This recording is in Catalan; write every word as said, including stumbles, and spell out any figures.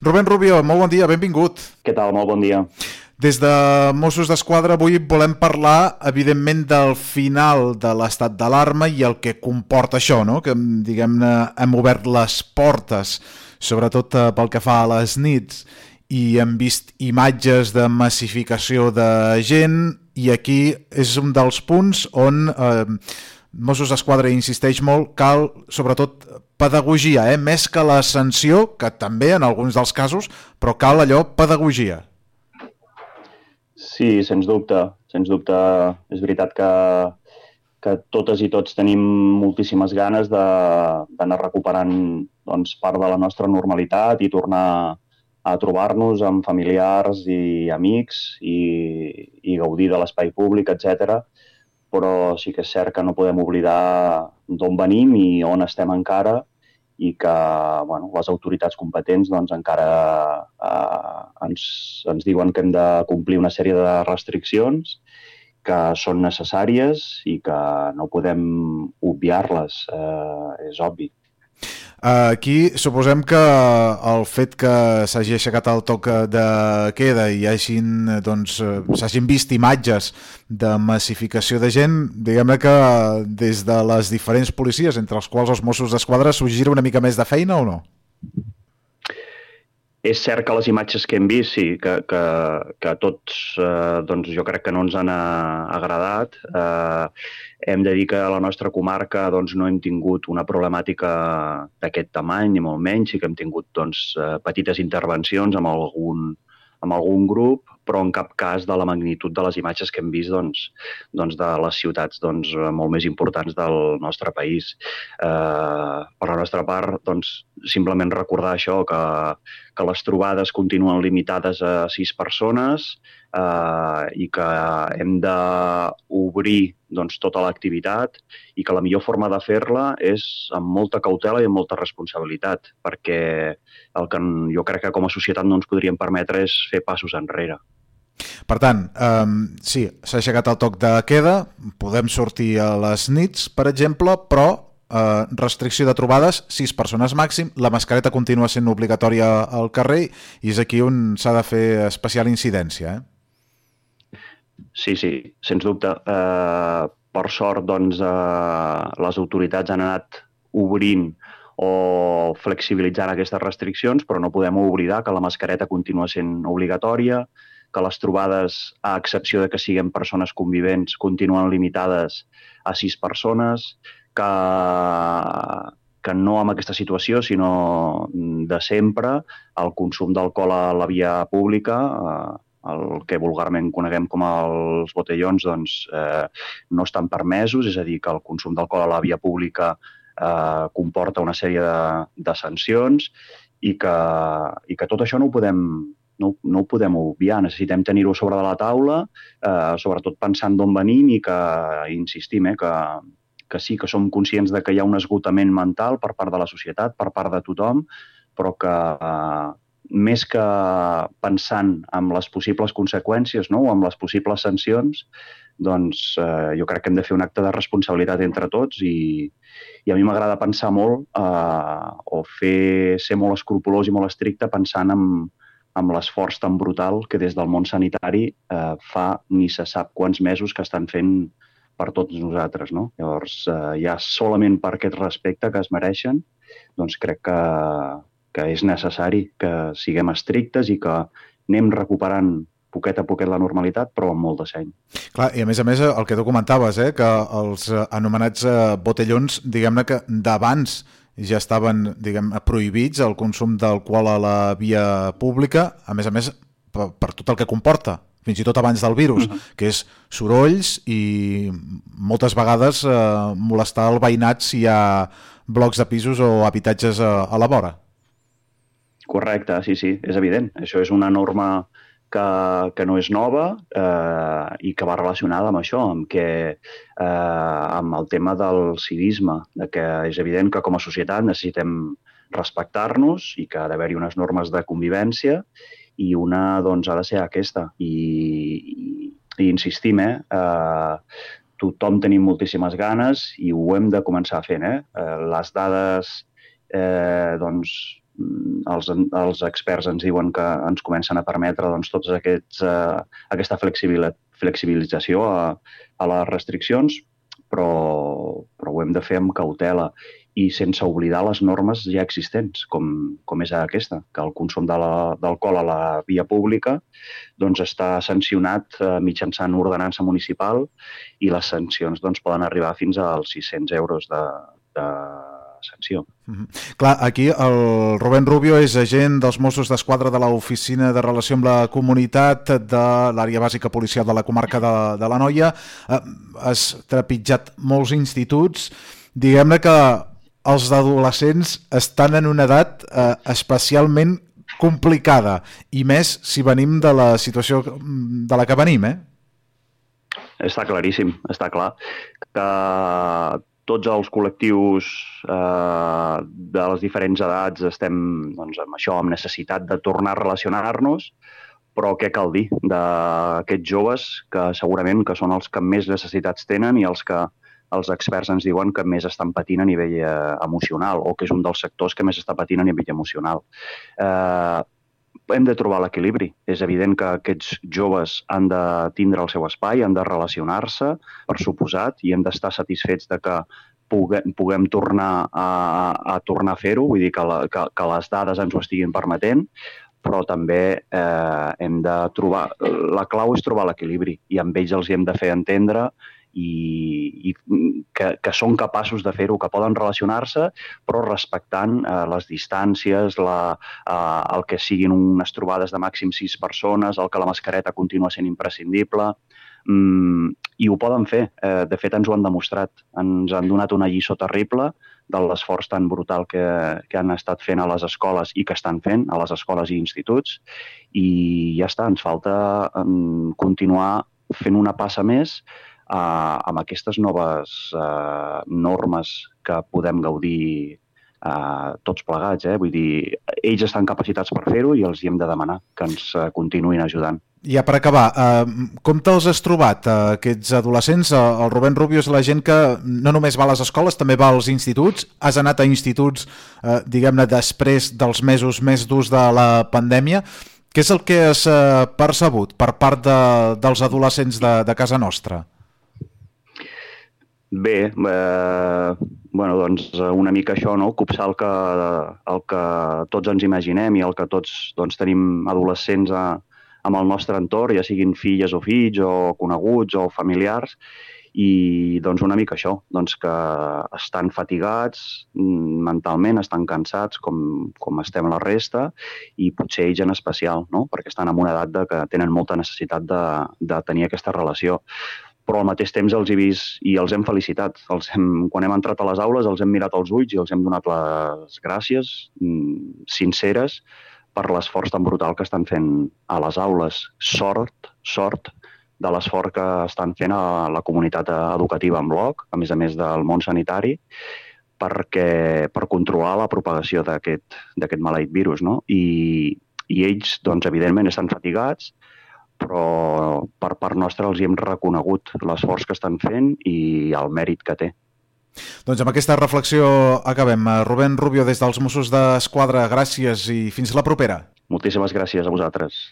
Rubén Rubio, molt bon dia, benvingut. Què tal? Molt bon dia. Des de Mossos d'Esquadra avui volem parlar, evidentment, del final de l'estat d'alarma i el que comporta això, no? Que, diguem-ne, hem obert les portes, sobretot eh, pel que fa a les nits, i hem vist imatges de massificació de gent, i aquí és un dels punts on eh, Mossos d'Esquadra insisteix molt, cal, sobretot, pedagogia, eh? Més que la sanció, que també en alguns dels casos, però cal allò, pedagogia. Sí, sens dubte. Sens dubte és veritat que, que totes i tots tenim moltíssimes ganes de, d'anar recuperant doncs, part de la nostra normalitat i tornar a trobar-nos amb familiars i amics i, i gaudir de l'espai públic, etcètera. Però sí que és cert que no podem oblidar d'on venim i on estem encara i que bueno, les autoritats competents doncs, encara eh, ens, ens diuen que hem de complir una sèrie de restriccions que són necessàries i que no podem obviar-les, eh, és obvi. Aquí suposem que el fet que s'hagi aixecat el toc de queda i hagin, doncs, s'hagin vist imatges de massificació de gent, diguem-ne que des de les diferents policies, entre els quals els Mossos d'Esquadra, s'ho gira una mica més de feina o no? És cert que les imatges que hem vist, sí, que, que, que a tots eh, doncs jo crec que no ens han agradat. Eh, hem de dir que a la nostra comarca doncs, no hem tingut una problemàtica d'aquest tamany, ni molt menys. Sí que hem tingut doncs, petites intervencions amb algun, amb algun grup, però en cap cas de la magnitud de les imatges que hem vist doncs, doncs de les ciutats doncs, molt més importants del nostre país. Eh, per la nostra part, doncs, simplement recordar això, que, que les trobades continuen limitades a sis persones eh, i que hem d'obrir doncs, tota l'activitat i que la millor forma de fer-la és amb molta cautela i amb molta responsabilitat, perquè el que jo crec que com a societat no ens podríem permetre és fer passos enrere. Per tant, um, sí, s'ha aixecat el toc de queda, podem sortir a les nits, per exemple, però uh, restricció de trobades, sis persones màxim, la mascareta continua sent obligatòria al carrer i és aquí on s'ha de fer especial incidència, eh? Sí, sí, sens dubte. Uh, per sort, doncs, uh, les autoritats han anat obrint o flexibilitzant aquestes restriccions, però no podem oblidar que la mascareta continua sent obligatòria, que les trobades, a excepció de que siguem persones convivents, continuen limitades a sis persones, que, que no amb aquesta situació, sinó de sempre, el consum d'alcohol a la via pública, el que vulgarment coneguem com els botellons, doncs, eh, no estan permesos, és a dir, que el consum d'alcohol a la via pública eh, comporta una sèrie de, de sancions i que, i que tot això no ho podem No, no ho podem obviar, necessitem tenir-ho sobre de la taula, eh, sobretot pensant d'on venim i que, insistim, eh, que, que sí que som conscients de que hi ha un esgotament mental per part de la societat, per part de tothom, però que eh, més que pensant en les possibles conseqüències, no?, o en les possibles sancions, doncs eh, jo crec que hem de fer un acte de responsabilitat entre tots i, i a mi m'agrada pensar molt eh, o fer, ser molt escrupolós i molt estricte pensant en amb l'esforç tan brutal que des del món sanitari eh, fa ni se sap quants mesos que estan fent per tots nosaltres, no? Llavors, eh, ja solament per aquest respecte que es mereixen, doncs crec que, que és necessari que siguem estrictes i que anem recuperant poquet a poquet la normalitat, però amb molt de seny. Clar, i a més a més el que tu comentaves, eh, que els anomenats eh, botellons, diguem-ne que d'abans ja estaven, diguem, prohibits el consum d'alcohol a la via pública, a més a més per, per tot el que comporta, fins i tot abans del virus, uh-huh. que és sorolls i moltes vegades eh, molestar el veïnat si hi ha blocs de pisos o habitatges a, a la vora. Correcte, sí, sí, és evident. Això és una norma que, que no és nova eh, i que va relacionada amb això, amb, que, eh, amb el tema del civisme, de que és evident que com a societat necessitem respectar-nos i que ha d'haver-hi unes normes de convivència i una doncs, ha de ser aquesta. I, i, i insistim, eh, eh, tothom tenim moltíssimes ganes i ho hem de començar fent. Eh? Eh, les dades eh, doncs, els, els experts ens diuen que ens comencen a permetre doncs, tots aquests, eh, aquesta flexibilització a, a les restriccions, però, però ho hem de fer amb cautela i sense oblidar les normes ja existents, com, com és aquesta, que el consum d'alcohol a la via pública doncs, està sancionat eh, mitjançant ordenança municipal i les sancions doncs, poden arribar fins als sis-cents euros de, de sanció. Mm-hmm. Clar, aquí el Rubén Rubio és agent dels Mossos d'Esquadra de l'Oficina de Relació amb la Comunitat de l'àrea bàsica policial de la comarca de, de l'Anoia. Eh, has trepitjat molts instituts. Diguem-ne que els adolescents estan en una edat eh, especialment complicada, i més si venim de la situació de la que venim, eh? Està claríssim, està clar que tots els col·lectius eh, de les diferents edats estem doncs, amb això, amb necessitat de tornar a relacionar-nos, però què cal dir d'aquests joves que segurament que són els que més necessitats tenen i els que els experts ens diuen que més estan patint a nivell eh, emocional, o que és un dels sectors que més està patint a nivell emocional. Eh, hem de trobar l'equilibri. És evident que aquests joves han de tindre el seu espai, han de relacionar-se, per suposat, i hem d'estar satisfets de que puguem, puguem tornar a, a tornar a fer-ho, vull dir que, la, que, que les dades ens ho estiguin permetent, però també eh, hem de trobar... La clau és trobar l'equilibri, i amb ells els hi hem de fer entendre i, i que, que són capaços de fer-ho, que poden relacionar-se, però respectant eh, les distàncies, la, eh, el que siguin unes trobades de màxim sis persones, el que la mascareta continua sent imprescindible, mm, i ho poden fer. Eh, de fet, ens ho han demostrat. Ens han donat una lliçó terrible de l'esforç tan brutal que, que han estat fent a les escoles i que estan fent a les escoles i instituts, i ja està, ens falta um, continuar fent una passa més Uh, amb aquestes noves uh, normes que podem gaudir uh, tots plegats. Eh? Vull dir, ells estan capacitats per fer-ho i els hi hem de demanar que ens uh, continuïn ajudant. Ja per acabar, uh, com te'ls has trobat, uh, aquests adolescents? Uh, el Rubén Rubio és la gent que no només va a les escoles, també va als instituts. Has anat a instituts, uh, diguem-ne, després dels mesos més durs de la pandèmia. Què és el que has uh, percebut per part de, dels adolescents de, de casa nostra? Bé, eh, bueno, doncs una mica això, no? Copsar el que, el que tots ens imaginem i el que tots doncs, tenim adolescents a, amb el nostre entorn, ja siguin filles o fills o coneguts o familiars, i doncs una mica això, doncs que estan fatigats mentalment, estan cansats com, com estem la resta, i potser ells en especial, no? Perquè estan en una edat de que tenen molta necessitat de, de tenir aquesta relació. Però al mateix temps els he vist i els hem felicitat. Els hem, quan hem entrat a les aules els hem mirat als ulls i els hem donat les gràcies mm, sinceres per l'esforç tan brutal que estan fent a les aules. Sort, sort de l'esforç que estan fent a la comunitat educativa en bloc, a més a més del món sanitari, perquè, per controlar la propagació d'aquest d'aquest maleït virus. No? I, I ells, doncs, evidentment, estan fatigats, però per part nostra els hi hem reconegut l'esforç que estan fent i el mèrit que té. Doncs amb aquesta reflexió acabem. Rubén Rubio, des dels Mossos d'Esquadra, gràcies i fins la propera. Moltíssimes gràcies a vosaltres.